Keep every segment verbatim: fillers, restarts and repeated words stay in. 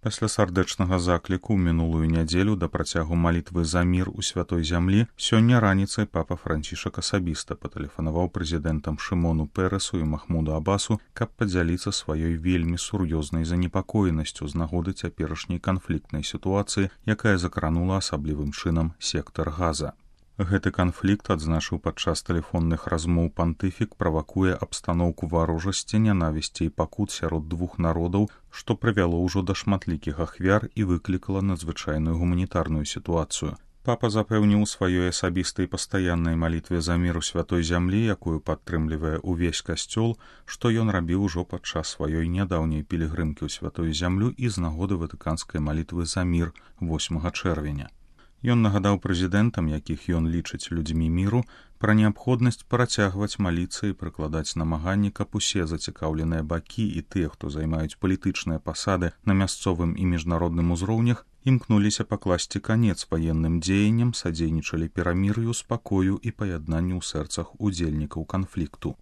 Пасля сардэчнага закліку ў мінулую нядзелю да працягу малітвы за мір у святой зямлі, сёння раніцай папа Францішак асабіста патэлефанаваў прэзідэнтам Шымону Пересу і Махмуду Абасу, каб падзяліцца сваёй вельмі сур'ёзнай занепакоенасцю з нагоды цяперашняй канфліктнай сітуацыі, якая закранула асаблівым чынам сектар Газа. Гэты канфлікт, адзначыў падчас тэлефонных размоў пантыфік, правакуе абстаноўку варожасці, нянавісці і пакут сярод двух народаў, што прывяло ўжо да шматлікіх ахвяр і выклікала надзвычайную гуманітарную сітуацыю. Папа запэўніў у сваёй асабістай пастаяннай малітве за мір у святой зямлі, якую падтрымлівае ўвесь касцёл, што ён рабіў ужо падчас сваёй нядаўняй пілігрымкі ў святую зямлю і з нагоды ватыканскай малітвы за мір восьмага чэрвеня. Ён нагадаў прэзідэнтам, якіх ён лічыць людзьмі міру, пра неабходнасць працягваць маліцца і прыкладаць намаганні, каб усе зацікаўленыя бакі і тыя, хто займаюць палітычныя пасады на мясцовым і міжнародным узроўнях, імкнуліся пакласці канец ваенным дзеянням, садзейнічалі перамір'ю, спакою і паяднанню ў сэрцах удзельнікаў канфлікту.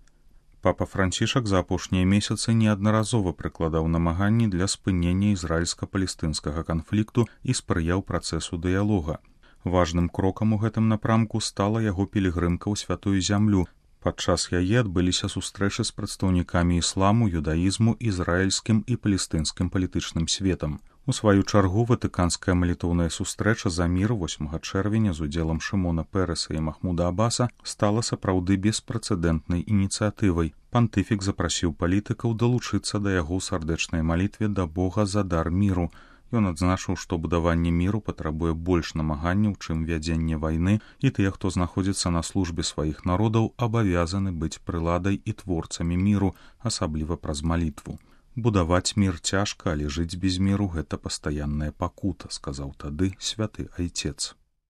Папа Францішак за апошнія месяцы неаднаразова прыкладаў намаганні для спынення ізраільска-палестынскага канфлікту і спрыяў працэсу дыялога. Важным крокам у гэтым напрамку стала яго пілігрымка ў святую зямлю. Падчас яе адбыліся сустрэчы з прадстаўнікамі ісламу, юдаізму, ізраільскім і палестынскім палітычным светам. У сваю чаргу ватыканская малітоўная сустрэча за мір восьмага чэрвеня з удзелам Шымона Переса і Махмуда Абаса стала сапраўды беспрэцэдэнтнай ініцыятывай. Пантыфік запрасіў палітыкаў далучыцца да яго ў сардэчнай малітве да Бога за дар міру. Ён адзначыў, што будаванне міру патрабуе больш намаганняў, чым вядзенне вайны, і тыя, хто знаходзіцца на службе сваіх народаў, абавязаны быць прыладай і творцамі міру, асабліва праз малітву. Будаваць мір цяжка, але жыць без міру — гэта пастаянная пакута, сказаў тады святы айцец.